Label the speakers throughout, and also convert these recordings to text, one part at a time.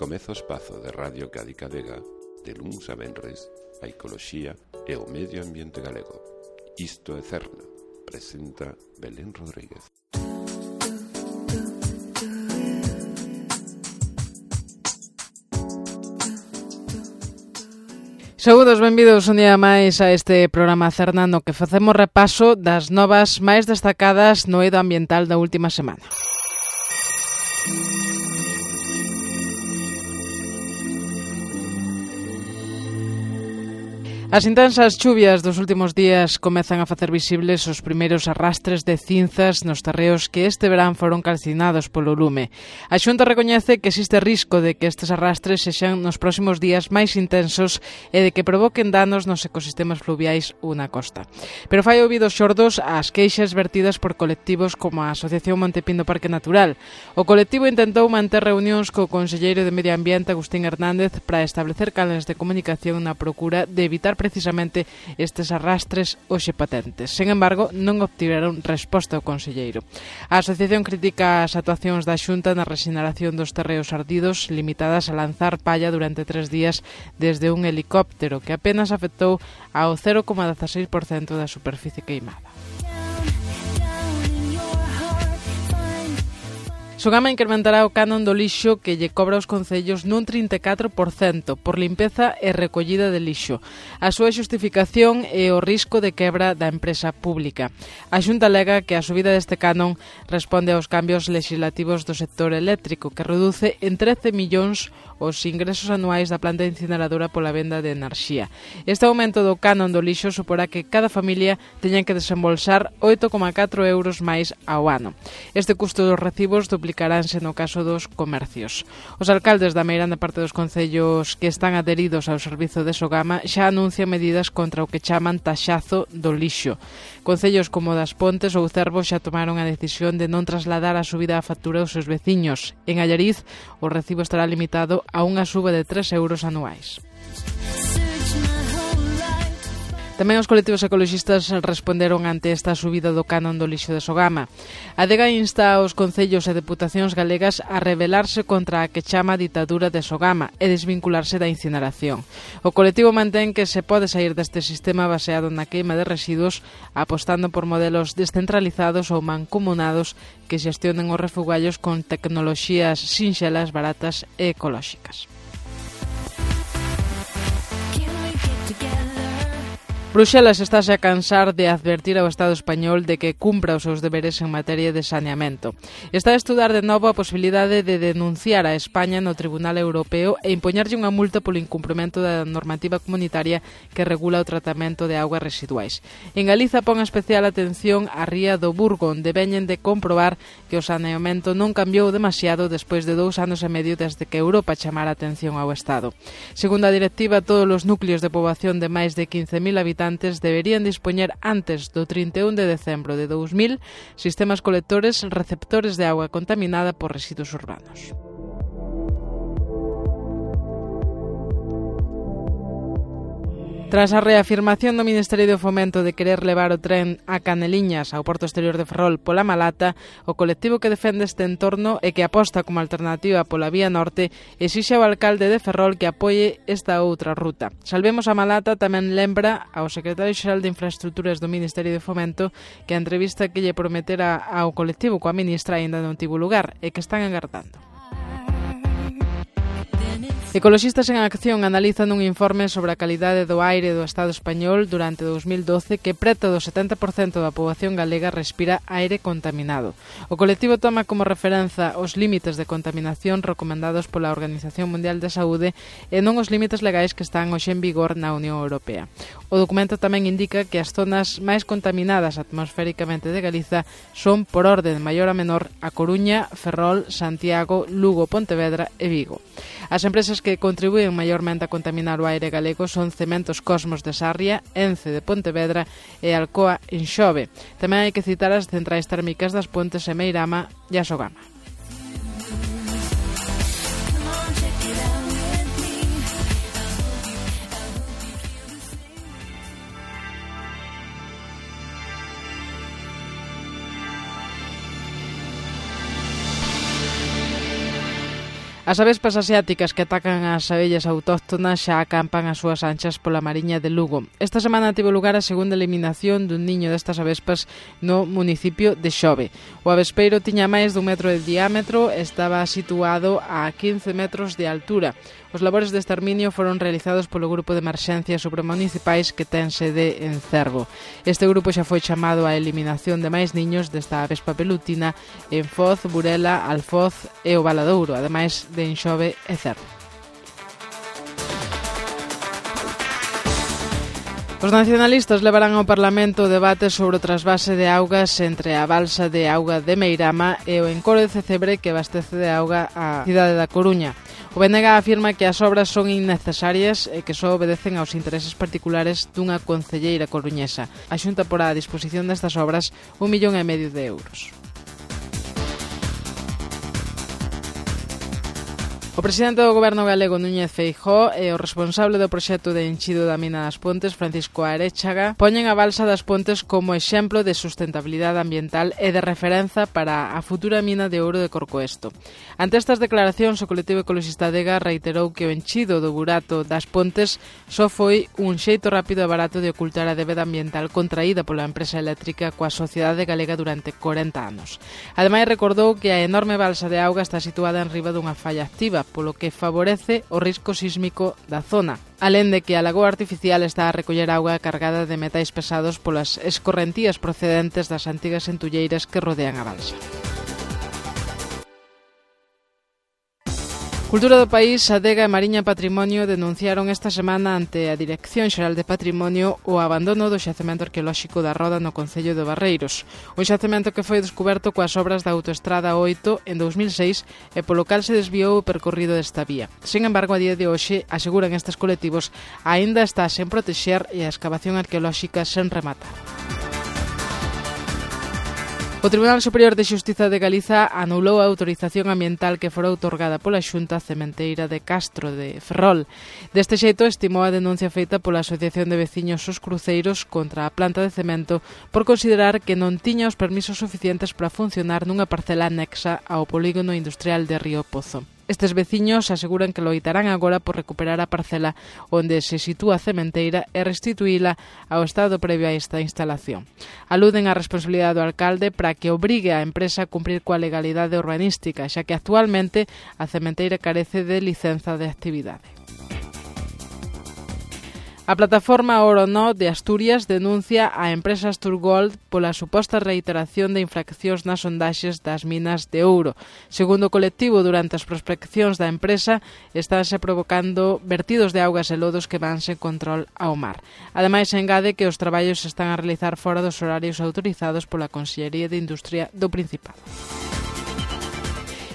Speaker 1: Comeza o espazo de Radio Cádiz Vega de luns a venres a ecoloxía e o medio ambiente galego. Isto é Cerna, presenta Belén Rodríguez.
Speaker 2: Saúdos, benvidos un día máis a este programa Cerna no que facemos repaso das novas máis destacadas no eido ambiental da última semana. As intensas chuvias dos últimos días comezan a facer visibles os primeiros arrastres de cinzas nos terreos que este verán foron calcinados polo lume. A Xunta recoñece que existe risco de que estes arrastres sexan nos próximos días máis intensos e de que provoquen danos nos ecosistemas fluviais ou na costa. Pero fai ouvidos xordos ás queixas vertidas por colectivos como a Asociación Montepindo Parque Natural. O colectivo intentou manter reunións co conselleiro de Medio Ambiente, Agustín Hernández, para establecer canles de comunicación na procura de evitar precisamente estes arrastres hoxe patentes. Sen embargo, non obtiveron resposta ao conselleiro. A asociación critica as actuacións da Xunta na rexeneración dos terreos ardidos, limitadas a lanzar palla durante 3 días desde un helicóptero, que apenas afectou ao 0,16% da superficie queimada. Sogama incrementará o canon do lixo que lle cobra aos concellos nun 34% por limpeza e recollida de lixo. A súa xustificación é o risco de quebra da empresa pública. A Xunta alega que a subida deste canon responde aos cambios legislativos do sector eléctrico, que reduce en 13 millóns os ingresos anuais da planta incineradora pola venda de enerxía. Este aumento do canon do lixo suporá que cada familia teña que desembolsar 8,4 euros máis ao ano. Este custo dos recibos duplicaránse no caso dos comercios. Os alcaldes da meirande parte dos concellos que están adheridos ao servizo de Sogama xa anuncian medidas contra o que chaman taxazo do lixo. Concellos como Das Pontes ou Cervo xa tomaron a decisión de non trasladar a subida á factura aos seus veciños. En Allariz, o recibo estará limitado a unha suba de 3 euros anuais. Tamén os colectivos ecoloxistas responderon ante esta subida do canon do lixo de Sogama. A DEGA insta aos concellos e deputacións galegas a rebelarse contra a que chama ditadura de Sogama e desvincularse da incineración. O colectivo mantén que se pode sair deste sistema baseado na queima de residuos apostando por modelos descentralizados ou mancomunados que xestionen os refugallos con tecnoloxías sinxelas, baratas e ecolóxicas. Bruxelas estáse a cansar de advertir ao Estado español de que cumpra os seus deberes en materia de saneamento. Está a estudar de novo a posibilidade de denunciar a España no Tribunal Europeo e impoñerlle unha multa polo incumprimento da normativa comunitaria que regula o tratamento de augas residuais. En Galiza pon especial atención á ría do Burgo, onde veñen de comprobar que o saneamento non cambiou demasiado despois de 2 anos e medio desde que Europa chamara a atención ao Estado. Segundo a directiva, todos os núcleos de poboación de máis de 15.000 habitantes deberían dispoñer antes do 31 de decembro de 2000 sistemas colectores receptores de auga contaminada por residuos urbanos. Tras a reafirmación do Ministerio de Fomento de querer levar o tren a Caneliñas ao porto exterior de Ferrol pola Malata, o colectivo que defende este entorno e que aposta como alternativa pola vía norte exixe ao alcalde de Ferrol que apoie esta outra ruta. Salvemos a Malata tamén lembra ao secretario xeral de Infraestructuras do Ministerio de Fomento que a entrevista que lle prometera ao colectivo coa ministra aínda non tivo lugar e que están agardando. Ecoloxistas en Acción analizan un informe sobre a calidade do aire do Estado español durante 2012 que preto do 70% da poboación galega respira aire contaminado. O colectivo toma como referenza os límites de contaminación recomendados pola Organización Mundial de Saúde e non os límites legais que están hoxe en vigor na Unión Europea. O documento tamén indica que as zonas máis contaminadas atmosféricamente de Galiza son, por orde de maior a menor, A Coruña, Ferrol, Santiago, Lugo, Pontevedra e Vigo. As empresas que contribúen maiormente a contaminar o aire galego son Cementos Cosmos de Sarria, Ence de Pontevedra e Alcoa en Xove. Tamén hai que citar as centrais térmicas das Pontes e Meirama e a Sogama. As avespas asiáticas que atacan as abellas autóctonas xa acampan as súas anchas pola Mariña de Lugo. Esta semana tivo lugar a segunda eliminación dun niño destas avespas no municipio de Xove. O avespeiro tiña máis dun metro de diámetro e estaba situado a 15 metros de altura. Os labores de exterminio foron realizados polo Grupo de Emerxencias Supramunicipais que ten sede en Cervo. Este grupo xa foi chamado á eliminación de máis niños desta avespa pelutina en Foz, Burela, Alfoz e o Valadouro, ademais de Enxove e Cervo. Os nacionalistas levarán ao Parlamento o debate sobre o trasvase de augas entre a balsa de auga de Meirama e o encoro de Cecebre que abastece de auga a cidade da Coruña. O BNG afirma que as obras son innecesarias e que só obedecen aos intereses particulares dunha concelleira coruñesa. A Xunta porá a disposición destas obras 1,5 millón de euros. O presidente do Goberno galego, Núñez Feijóo, e o responsable do proxecto de enchido da mina das Pontes, Francisco Aréchaga, poñen a balsa das Pontes como exemplo de sustentabilidade ambiental e de referenza para a futura mina de ouro de Corcoesto. Ante estas declaracións, o colectivo ecologista Adega reiterou que o enchido do burato das Pontes só foi un xeito rápido e barato de ocultar a débeda ambiental contraída pola empresa eléctrica coa sociedade galega durante 40 anos. Ademais, recordou que a enorme balsa de auga está situada en riba dunha falla activa, polo que favorece o risco sísmico da zona. Alén de que a lagoa artificial está a recoller auga cargada de metais pesados polas escorrentías procedentes das antigas entulleiras que rodean a balsa. Cultura do País, Adega e Mariña Patrimonio denunciaron esta semana ante a Dirección Xeral de Patrimonio o abandono do xacemento arqueolóxico da Roda no concello de Barreiros. Un xacemento que foi descuberto coas obras da Autoestrada 8 en 2006 e polo cal se desviou o percorrido desta vía. Sin embargo, a día de hoxe, aseguran estes colectivos, aínda está sen protexer e a escavación arqueolóxica sen rematar. O Tribunal Superior de Xustiza de Galiza anulou a autorización ambiental que fora outorgada pola Xunta Cementeira de Castro de Ferrol. Deste xeito, estimou a denuncia feita pola Asociación de Veciños Os Cruceiros contra a planta de cemento por considerar que non tiña os permisos suficientes para funcionar nunha parcela anexa ao polígono industrial de Río Pozo. Estes veciños aseguran que loitarán agora por recuperar a parcela onde se sitúa a cementeira e restituíla ao estado previo a esta instalación. Aluden á responsabilidade do alcalde para que obrigue a empresa a cumprir coa legalidade urbanística, xa que actualmente a cementeira carece de licenza de actividade. A plataforma Orono de Asturias denuncia a empresa Asturgold pola suposta reiteración de infraccións nas sondaxes das minas de ouro. Segundo o colectivo, durante as prospeccións da empresa estánse provocando vertidos de augas e lodos que van sen control ao mar. Ademais, engade que os traballos se están a realizar fora dos horarios autorizados pola Consellería de Industria do Principado.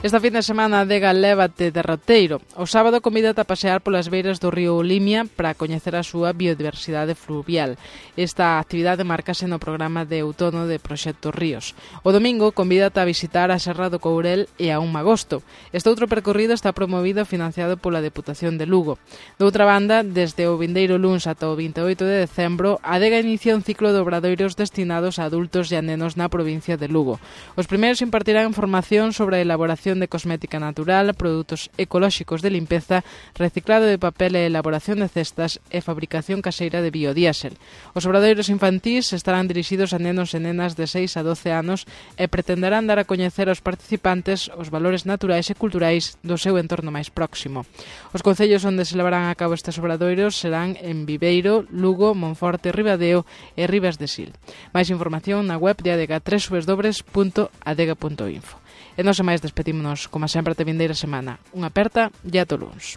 Speaker 2: Esta fin de semana a Adega lévate de roteiro. O sábado convídate a pasear polas beiras do río Limia para coñecer a súa biodiversidade fluvial. Esta actividade márcase no programa de outono de Proxecto Ríos. O domingo convídate a visitar a Serra do Courel e a un Magosto. Este outro percorrido está promovido e financiado pola Deputación de Lugo. Doutra banda, desde o vindeiro luns ata o 28 de decembro, a Adega inicia un ciclo de obradoiros destinados a adultos e a nenos na provincia de Lugo. Os primeiros impartirán formación sobre a elaboración de cosmética natural, produtos ecolóxicos de limpeza, reciclado de papel e elaboración de cestas e fabricación caseira de biodiésel. Os obradoiros infantís estarán dirixidos a nenos e nenas de 6 a 12 anos e pretenderán dar a coñecer aos participantes os valores naturais e culturais do seu entorno máis próximo. Os concellos onde se levarán a cabo estes obradoiros serán en Viveiro, Lugo, Monforte, Ribadeo e Ribas de Sil. Máis información na web de Adega www.adega.info. E non se máis, despedímonos, como sempre, até vindeira semana. Unha aperta e ata o luns.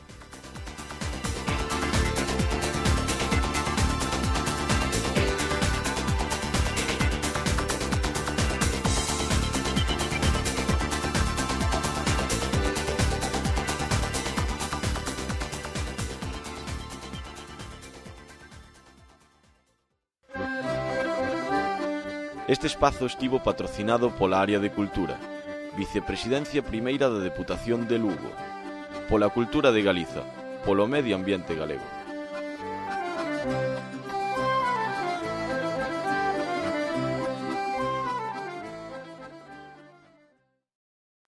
Speaker 3: Este espazo estivo patrocinado pola Área de Cultura, Vicepresidencia Primeira da Deputación de Lugo, pola Cultura de Galiza, polo Medio Ambiente Galego.